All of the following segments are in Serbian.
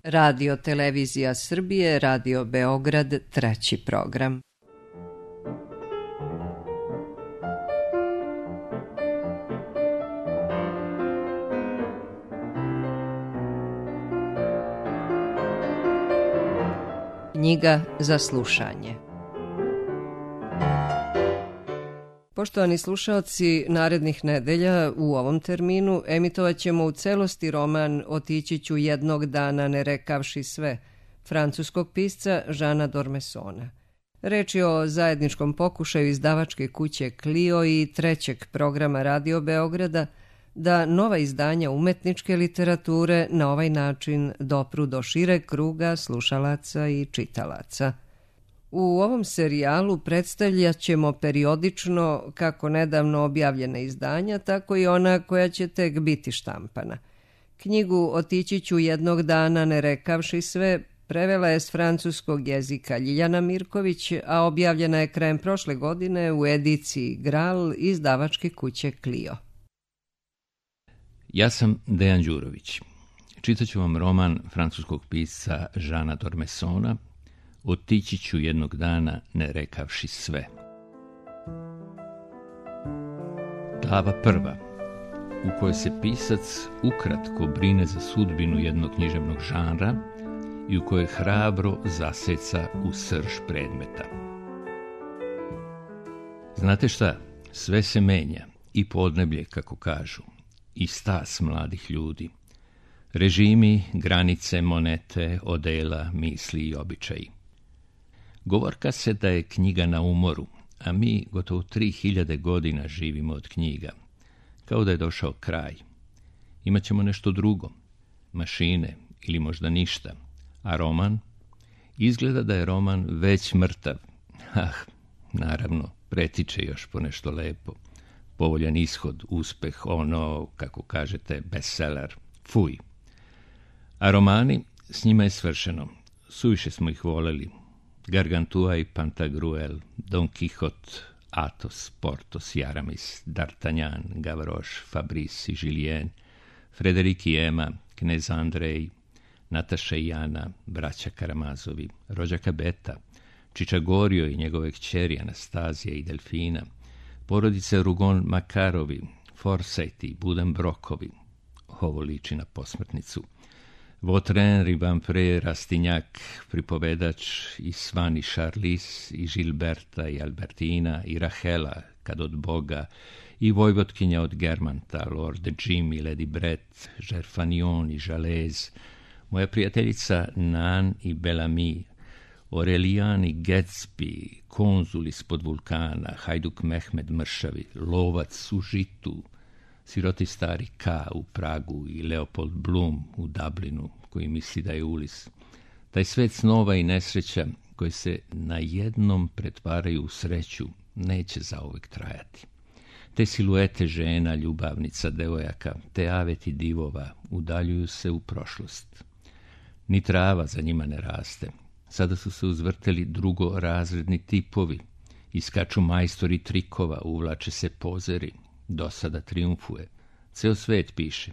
Radio Televizija Srbije, Radio Beograd, 3. program. Knjiga za slušanje. Poštovani slušaoci, narednih nedelja u ovom terminu emitovat ćemo u celosti roman Otići ću jednog dana ne rekavši sve, francuskog pisca Jeana d'Ormessona. Reč je o zajedničkom pokušaju izdavačke kuće Clio i 3. programa Radio Beograda da nova izdanja umetničke literature na ovaj način dopru do šireg kruga slušalaca i čitalaca. U ovom serijalu predstavljat ćemo periodično kako nedavno objavljene izdanja, tako i ona koja će tek biti štampana. Knjigu Otići ću jednog dana ne rekavši sve prevela je s francuskog jezika Ljiljana Mirković, a objavljena je krajem prošle godine u ediciji Gral izdavačke kuće Clio. Ja sam Dejan Đurović. Čitat ću vam roman francuskog pisca Jeana d'Ormessona Otići ću jednog dana ne rekavši sve. Glava prva, u kojoj se pisac ukratko brine za sudbinu jednog književnog žanra i u kojoj hrabro zaseca u srž predmeta. Znate šta, sve se menja, i podneblje, kako kažu, i stas mladih ljudi, režimi, granice, monete, odela, misli i običaji. Govorka se da je knjiga na umoru, a mi gotovo 3000 godina živimo od knjiga, kao da je došao kraj. Imaćemo nešto drugo, mašine ili možda ništa, a roman? Izgleda da je roman već mrtav. Naravno, pretiče još po nešto lepo. Povoljan ishod, uspeh, ono, kako kažete, bestseller, fuj. A romani, s njima je svršeno. Suviše smo ih voleli. Gargantua i Pantagruel, Don Quixote, Athos, Porthos i Aramis, D'Artagnan, Gavroche, Fabrice i Julien, Frederik i Emma, knez Andrej, Nataša i Jana, braća Karamazovi, rođaka Beta, Čičagorio i njegove kćeri Anastazija i Delfina, porodice Rougon Makarovi, Forsythi, Buddenbrockovi, ovo liči na posmrtnicu, Vautrin, Ribampré, Rastignac, pripovedač i Svan i Charlis, i Gilberta i Albertina, i Rahela, kad od Boga, i Vojvotkinja od Germanta, Lord Jim i Lady Brett, Gerfanion i Jalez, moja prijateljica Nan i Bellamy, Aurelian i Gatsby, konzul ispod vulkana, hajduk Mehmed Mršavi, lovac u žitu, siroti stari K u Pragu i Leopold Bloom u Dublinu, koji misli da je Ulis. Taj svet snova i nesreća koji se na jednom pretvaraju u sreću neće zauvek trajati. Te siluete žena, ljubavnica, devojaka, te aveti divova udaljuju se u prošlost. Ni trava za njima ne raste. Sada su se uzvrteli drugorazredni tipovi, iskaču majstori trikova, uvlače se pozeri, dosada triumfuje. Ceo svet piše.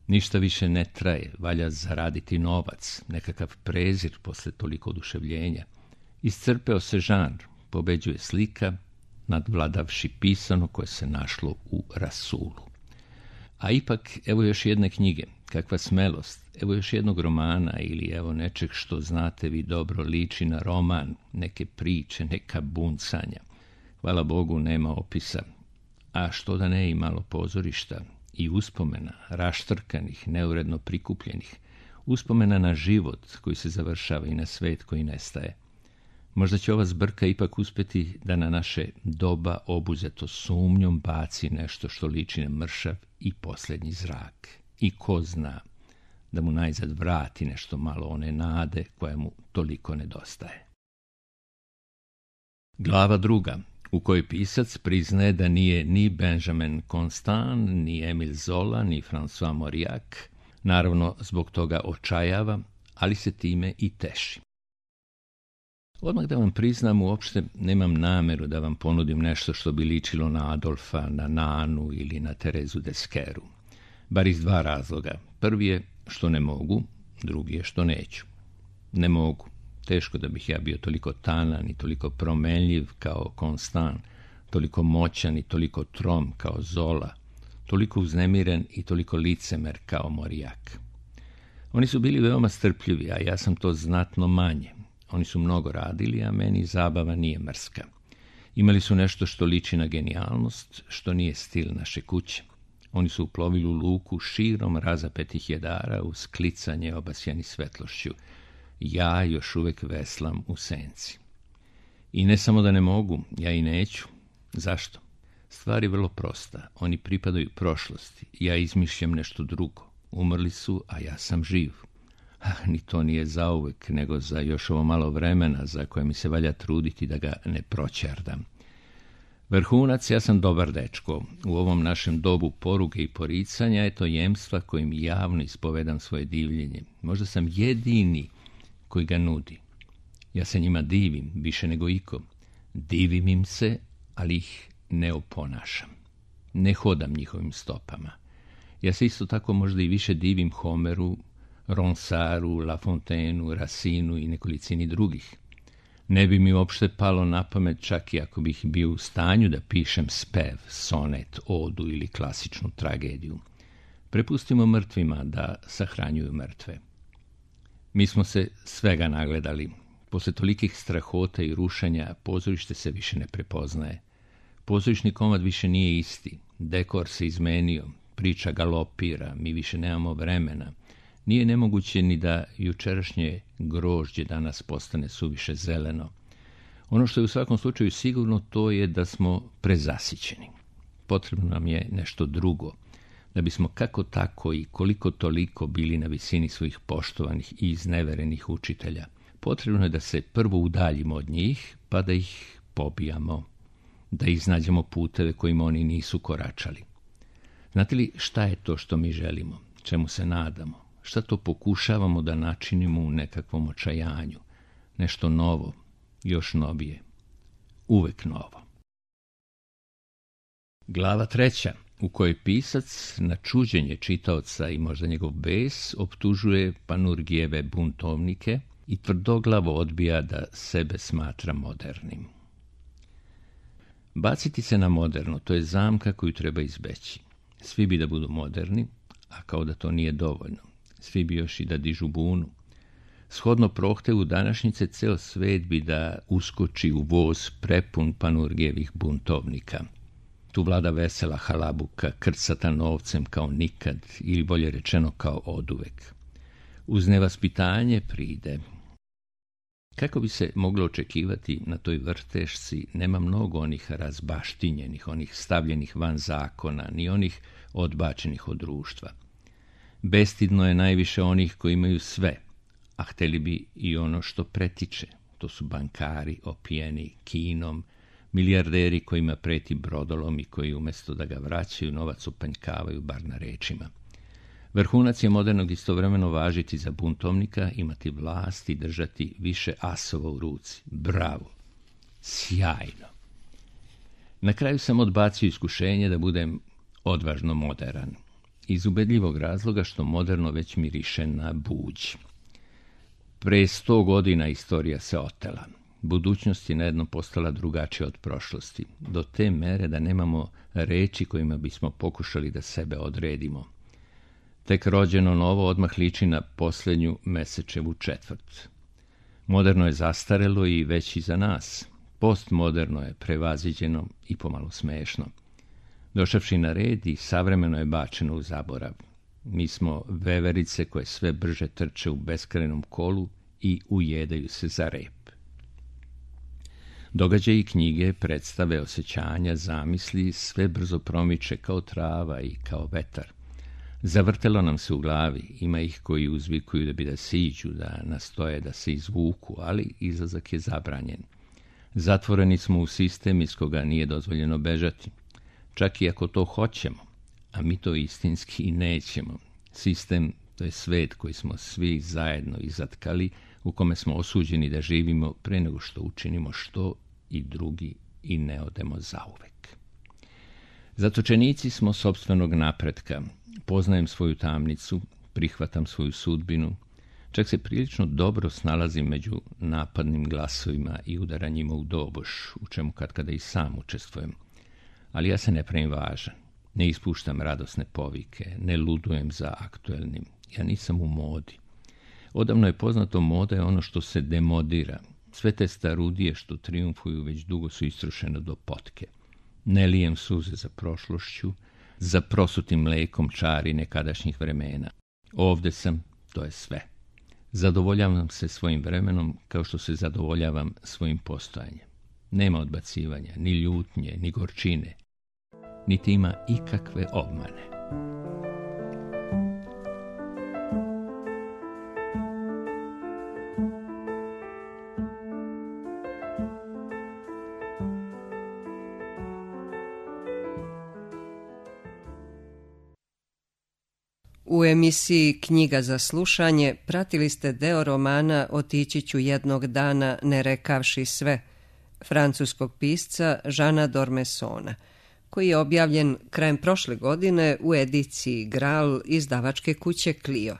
Ništa više ne traje, valja zaraditi novac, nekakav prezir posle toliko oduševljenja. Iscrpeo se žanr, pobeđuje slika, nadvladavši pisano koje se našlo u rasulu. A ipak, evo još jedne knjige, kakva smelost, evo još jednog romana ili evo nečeg što znate vi dobro liči na roman, neke priče, neka buncanja. Hvala Bogu nema opisa, a što da ne i malo pozorišta i uspomena, raštrkanih, neuredno prikupljenih, uspomena na život koji se završava i na svet koji nestaje. Možda će ova zbrka ipak uspeti da na naše doba obuzeto sumnjom baci nešto što liči na mršav i posljednji zrak. I ko zna, da mu najzad vrati nešto malo one nade koja mu toliko nedostaje. Glava druga, u kojoj pisac priznaje da nije ni Benjamin Constant, ni Emile Zola, ni François Mauriac, naravno zbog toga očajava, ali se time i teši. Odmah da vam priznam, uopšte nemam nameru da vam ponudim nešto što bi ličilo na Adolfa, na Nanu ili na Terezu Deskeru. Bar iz dva razloga. Prvi je što ne mogu, drugi je što neću. Ne mogu. Teško da bih ja bio toliko tanan i toliko promenljiv kao Constant, toliko moćan i toliko trom kao Zola, toliko uznemiren i toliko licemer kao Morijak. Oni su bili veoma strpljivi, a ja sam to znatno manje. Oni su mnogo radili, a meni zabava nije mrska. Imali su nešto što liči na genijalnost, što nije stil naše kuće. Oni su uplovili u luku širom razapetih jedara uz klicanje obasjani svetlošću. Ja još uvek veslam u senci. I ne samo da ne mogu, ja i neću. Zašto? Stvar je vrlo prosta. Oni pripadaju prošlosti. Ja izmišljam nešto drugo. Umrli su, a ja sam živ. Ni to nije zauvek, nego za još ovo malo vremena za koje mi se valja truditi da ga ne proćerdam. Vrhunac, ja sam dobar dečko. U ovom našem dobu poruge i poricanja je to jemstva kojim javno ispovedam svoje divljenje. Možda sam jedini koji ga nudi. Ja se njima divim, više nego iko. Divim im se, ali ih ne oponašam. Ne hodam njihovim stopama. Ja se isto tako možda i više divim Homeru, Ronsaru, La Fontaine'u, Racinu i nekolicini drugih. Ne bi mi uopšte palo na pamet, čak i ako bih bio u stanju da pišem spev, sonet, odu ili klasičnu tragediju. Prepustimo mrtvima da sahranjuju mrtve. Mi smo se svega nagledali. Posle tolikih strahota i rušenja pozorište se više ne prepoznaje. Pozorišni komad više nije isti. Dekor se izmenio, priča galopira, mi više nemamo vremena. Nije nemoguće ni da jučerašnje grožđe danas postane suviše zeleno. Ono što je u svakom slučaju sigurno, to je da smo prezasićeni. Potrebno nam je nešto drugo, da bismo kako tako i koliko toliko bili na visini svojih poštovanih i izneverenih učitelja. Potrebno je da se prvo udaljimo od njih, pa da ih pobijamo, da iznađemo puteve kojima oni nisu koračali. Znate li šta je to što mi želimo, čemu se nadamo? Šta to pokušavamo da načinimo u nekakvom očajanju? Nešto novo, još novije, uvek novo. Glava 3, u kojoj pisac na čuđenje čitaoca i možda njegov bes optužuje Panurgijeve buntovnike i tvrdoglavo odbija da sebe smatra modernim. Baciti se na moderno, to je zamka koju treba izbeći. Svi bi da budu moderni, a kao da to nije dovoljno. Svi bi još i da dižu bunu. Shodno prohtevu današnjice, ceo svet bi da uskoči u voz prepun Panurgijevih buntovnika. Tu vlada vesela halabuka, krcata novcem kao nikad, ili bolje rečeno kao oduvek. Uz nevaspitanje pride. Kako bi se moglo očekivati na toj vrtešci, nema mnogo onih razbaštinjenih, onih stavljenih van zakona, ni onih odbačenih od društva. Bestidno je najviše onih koji imaju sve, a hteli bi i ono što pretiče. To su bankari opijeni kinom, milijarderi kojima preti brodolom i koji umjesto da ga vraćaju, novac upanjkavaju bar na rečima. Vrhunac je modernog istovremeno važiti za buntovnika, imati vlast i držati više asova u ruci. Bravo! Sjajno! Na kraju sam odbacio iskušenje da budem odvažno modern. Iz ubedljivog razloga što moderno već miriše na buđ. Pre 100 godina istorija se otela. Budućnost je najednom postala drugačija od prošlosti, do te mere da nemamo reči kojima bismo pokušali da sebe odredimo. Tek rođeno novo odmah liči na posljednju mesečevu četvrt. Moderno je zastarelo i već iza nas. Postmoderno je prevaziđeno i pomalo smešno. Došavši na red i savremeno je bačeno u zaborav. Mi smo veverice koje sve brže trče u beskrajnom kolu i ujedaju se za rep. Događaji, knjige, predstave, osjećanja, zamisli sve brzo promiče kao trava i kao vetar. Zavrtelo nam se u glavi, ima ih koji uzvikuju da bi da siđu, da nastoje da se izvuku, ali izlazak je zabranjen. Zatvoreni smo u sistem iz koga nije dozvoljeno bežati. Čak i ako to hoćemo, a mi to istinski i nećemo. Sistem, to je svet koji smo svi zajedno izatkali, u kome smo osuđeni da živimo pre nego što učinimo što i drugi i ne odemo zauvek. Zatočenici smo sopstvenog napretka. Poznajem svoju tamnicu, prihvatam svoju sudbinu, Čak se prilično dobro snalazim među napadnim glasovima i udaranjima u doboš, u čemu katkada i sam učestvujem. Ali ja se ne pravim važan, ne ispuštam radosne povike, ne ludujem za aktuelnim. Ja nisam u modi. Odavno je poznato, moda je ono što se demodira. Sve te starudije što trijumfuju već dugo su istrošene do potke. Ne lijem suze za prošlošću, za prosutim mlekom čari nekadašnjih vremena. Ovde sam, to je sve. Zadovoljavam se svojim vremenom kao što se zadovoljavam svojim postojanjem. Nema odbacivanja, ni ljutnje, ni gorčine, niti ima ikakve obmane. U emisiji Knjiga za slušanje pratili ste deo romana Otići ću jednog dana ne rekavši sve, francuskog pisca Jeana d'Ormessona, koji je objavljen krajem prošle godine u ediciji Gral izdavačke kuće Clio.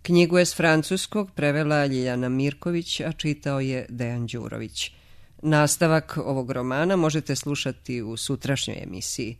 Knjigu je s francuskog prevela Ljiljana Mirković, a čitao je Dejan Đurović. Nastavak ovog romana možete slušati u sutrašnjoj emisiji.